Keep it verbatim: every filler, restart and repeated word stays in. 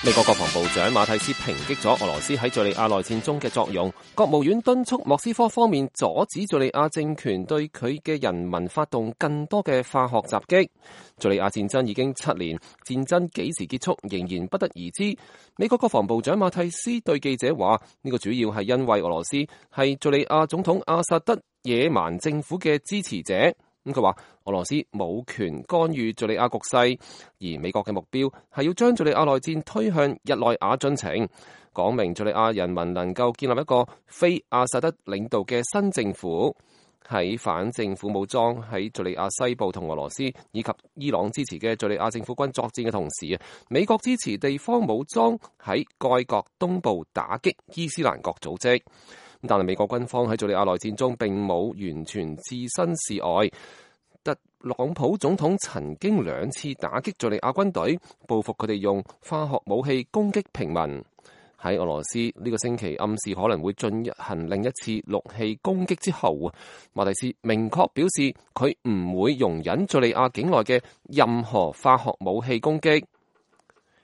美國國防部長馬蒂斯抨擊咗俄羅斯喺敘利亞內戰中嘅作用，國務院敦促莫斯科方面阻止敘利亞政權對佢嘅人民發動更多嘅化學襲擊。敘利亞戰爭已經七年，戰爭幾時結束仍然不得而知。美國國防部長馬蒂斯對記者話：呢個主要係因為俄羅斯係敘利亞總統阿薩德野蠻政府嘅支持者。咁佢話俄羅斯冇權干預敘利亞局勢，而美國嘅目標係要將敘利亞內戰推向日內瓦進程，講明敘利亞人民能夠建立一個非阿薩德領導嘅新政府。喺反政府武裝喺敘利亞西部同俄羅斯以及伊朗支持嘅敘利亞政府軍作戰嘅同時，美國支持地方武裝喺該國東部打擊伊斯蘭國組織。但係美國軍方喺敘利亞內戰中並冇完全置身事外。特朗普總統曾經兩次打擊敘利亞軍隊，報復佢哋用化學武器攻擊平民。喺俄羅斯呢個星期暗示可能會進行另一次陸氣攻擊之後，馬蒂斯明確表示佢唔會容忍敘利亞境內嘅任何化學武器攻擊。